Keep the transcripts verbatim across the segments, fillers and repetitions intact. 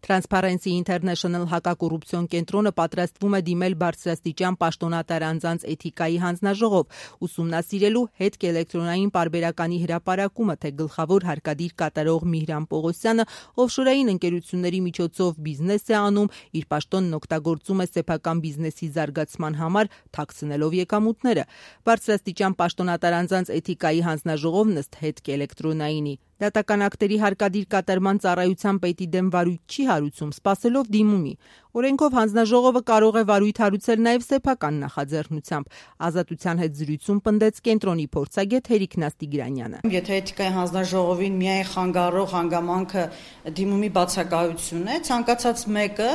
Transparency International հակակոռուպցիոն կենտրոնը պատրաստվում է դիմել բարձրաստիճան պաշտոնատար անձանց էթիկայի հանձնաժողով, ուսումնասիրելու հետքելեկտրոնային պարբերականի հրապարակումը, թե գլխավոր հարկադիր կատարող Միհրան Պողոսյանը օֆշորային ընկերությունների միջոցով բիզնես է անում, իր պաշտոնն օգտագործում է սեփական բիզնեսի զարգացման համար, թաքցնելով եկամուտները։ Բարձրաստիճան պաշտոնատար անձանց էթիկայի հանձնաժողովն ըստ հետքելեկտրոնայինի դատական ակտերի հարկադիր կատարման ծառայության պետի դեմ վարույթ չի հարուցում, սպասելով դիմումի։ Օրենքով հանձնաժողովը կարող է վարույթ հարուցել նաև սեփական նախաձեռնությամբ։ Ազատության հետ զրույցում պնդեց կենտրոնի փորձագետ Հերիկ Նաստիգրանյանը։ Եթե էթիկայի հանձնաժողովին միայն խանգարող հանգամանքը դիմումի բացակայությունն է, ցանկացած մեկը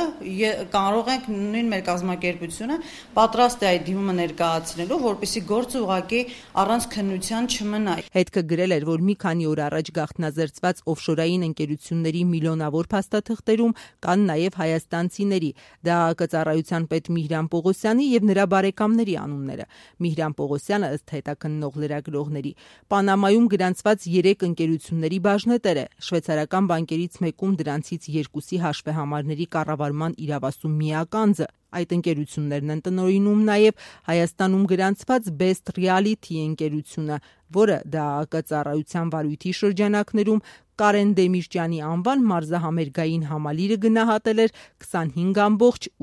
կարող ենք նույն մեր կազմակերպությունը պատրաստ է այդ դիմումը ներկայացնելու, որպեսզի գործը ուղղակի առանց քննության չմնա։ Հետքը գրել էր, որ մի քանի օր առաջ գաղտնազերծված օֆշորային ընկերությունների միլիոնավոր փաստաթղթերում կան նաև հայաստանցիների ԴԱԱԿ ծառայության պետ Միհրան Պողոսյանի եւ նրա բարեկամների անունները։ Միհրան Պողոսյանը ըստ հետաքննող լրագրողների Պանամայում գրանցված երեք ընկերությունների բաժնետեր է, շվեյցարական բանկերից մեկում դրանցից երկուսի հաշվեհամարների կառավարման իրավասու միակ անձը։ Այդ ընկերություններն են տնօրինում նաև Հայաստանում գրանցված Best Reality ընկերությունը, որը ԴԱԱԿ ծառայության վարույթի շրջանակներում Կարեն Դեմիրճյանի անվան մարզահամերգային համալիրը գնահատել էր քսանհինգ կόμ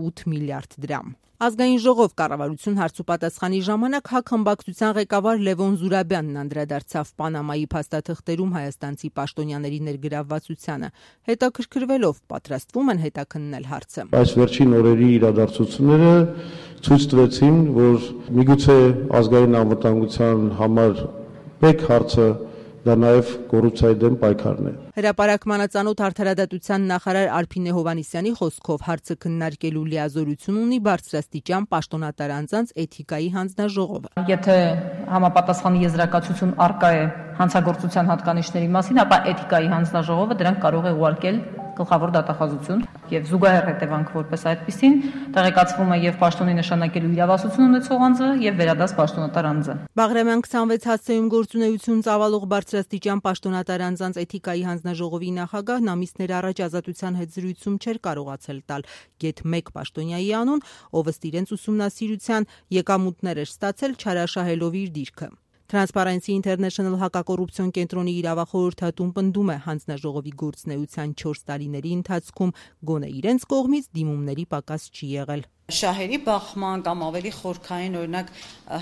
ութ միլիարդ դրամ։ Ազգային ժողով կառավարություն հարցուպատասխանի ժամանակ ՀԱԿ խմբակցության ղեկավար Լևոն Զուրաբյանն անդրադարձավ Պանամայի փաստաթղթերում հայաստանցի պաշտոնյաների ներգրավվածությանը, հետաքրքրվելով պատրաստվում են հետաքննել հարցը։ Այս վերջին օրերի իրադարձությունները ցույց տվեցին, որ միգուցե ազգային անվտանգության համար մեկ հարցը դա նաև կոռուպցիայի դեմ պայքարն է։ Հրապարակմանը ծանոթ արդարադատության նախարար Արփինե Հովհաննիսյանի խոսքով հարցը քննարկելու լիազորություն ունի բարձրաստիճան պաշտոնատար անձանց էթիկայի հանձնաժողովը։ Եթե համապատասխան եզրակացություն առկա է հանցագործության հատկանիշների մասին, ապա էթիկայի հանձնաժողովը դրանք կարող է ուղարկել գլխավոր դատախազություն եւ զուգահեռ հետևանք որպես այդպեսին տեղեկացվում է եւ պաշտոնի նշանակելու իրավասություն ունեցող անձը եւ վերադաս պաշտոնատար անձը։ Բաղրամյան քսանվեց հասցեում գործունեություն ծավալող բարձրաստիճան պաշտոնատար անձանց էթիկայի հանձնաժողովի նախագահն ամիսներ առաջ Ազատության հետ զրույցում չէր կարողացել տալ գեթ մեկ պաշտոնյայի անուն, ով ըստ իրենց ուսումնասիրության եկամուտներ էր ստացել չարաշահելով իր դիրքը։ Transparency International հակակոռուպցիոն կենտրոնի իրավախորհրդատուն պնդում է հանձնաժողովի գործունեության չորս տարիների ընթացքում գոնե իրենց կողմից դիմումների պակաս չի եղել։ Շահերի բախման կամ ավելի խորքային օրինակ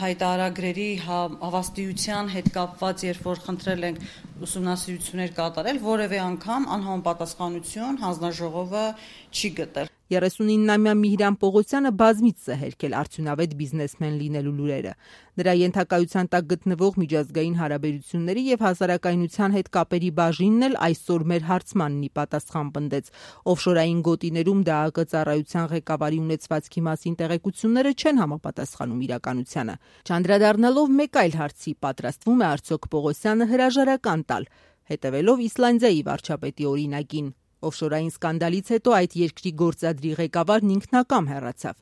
հայտարարագրերի հավաստիության հետ կապված, երբ որ խնդրել ենք ուսումնասիրություններ կատարել, որևէ անգամ անհամապատասխանություն հանձնաժողովը չի գտել։ երեսունինամյա Միհրան Պողոսյանը բազմիցս է հերքել արդյունավետ բիզնեսմեն լինելու լուրերը։ Նրա ենթակայության տակ գտնվող միջազգային հարաբերությունների եւ հասարակայնության հետ կապերի բաժինն էլ այսօր մեր հարցմանն ի պատասխան պնդեց։ Օֆշորային գոտիներում ԴԱԱԿ ծառայության ղեկավարի ունեցվածքի մասին տեղեկությունները չեն համապատասխանում իրականությանը։ Չանդրադառնալով մեկ այլ հարցի, պատրաստվում է արդյոք Պողոսյանը հրաժարական տալ, հետևելով Իսլանդիայի վարչապետի օրինակին։ Օֆշորային սկանդալից հետո այդ երկրի գործադրի ղեկավարն ինքնակամ հեռացավ։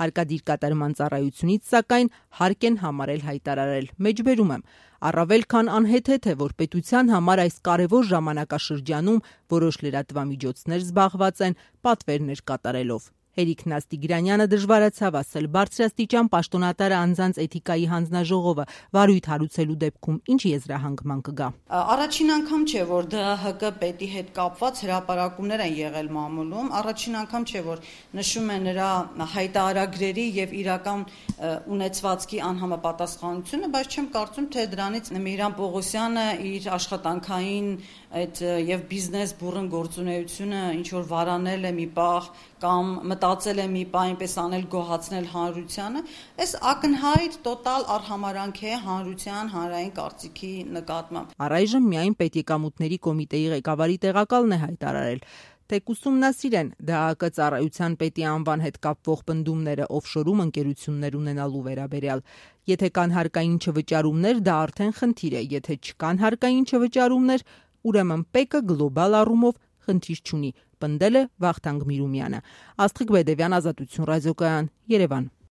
Հարկադիր կատարման ծառայությունից սակայն հարկ են համարել հայտարարել։ Մեջբերում եմ, առավել քան անհեթեթ է, որ պետության համար այս կարևոր ժամանակաշրջանում որոշ լրատվամիջոցներ զբաղված են պատվերներ կատարելով։ Հերիկ Նաստիգրանյանը դժվարացավ ասել բարձրաստիճան պաշտոնատար անձանց էթիկայի հանձնաժողովը վարույթ հարուցելու դեպքում ինչ եզրահանգման կգա։ Առաջին անգամ չէ, որ ԴՀԿ պետի հետ կապված հրապարակումներ են եղել մամուլում, առաջին անգամ չէ, որ նշում է նրա հայտարարագրերի եւ իրական ունեցվածքի անհամապատասխանությունը, բայց չեմ կարծում, թե դրանից Միհրան Պողոսյանը իր աշխատանքային այդ եւ բիզնես բուրըն գործունեությունը ինչ որ վարանել է մի պահ կամ մտածել է մի պահ այնպես անել գոհացնել հանրությանը, այս ակնհայտ տոտալ արհամարանք է հանրության հանրային կարծիքի նկատմամբ։ Առայժմ միայն պետեկամուտների կոմիտեի ղեկավարի տեղակալն է հայտարարել, թե կուսումնասիրեն ԴԱԱԿ ծառայության պետի անվան հետ կապվող պնդումները օֆշորում ընկերություններ ունենալու վերաբերյալ։ Եթե կան հարկային չվճարումներ, դա արդեն խնդիր է, եթե չկան հարկային չվճարումներ, ուրեմն ՊԵԿ-ը գլոբալ առումով խնդիր չունի, պնդել է Վախթանգ Միրումյանը։ Աստղիկ Բեդևյան, Ազատություն ռադիոկայան, Երևան։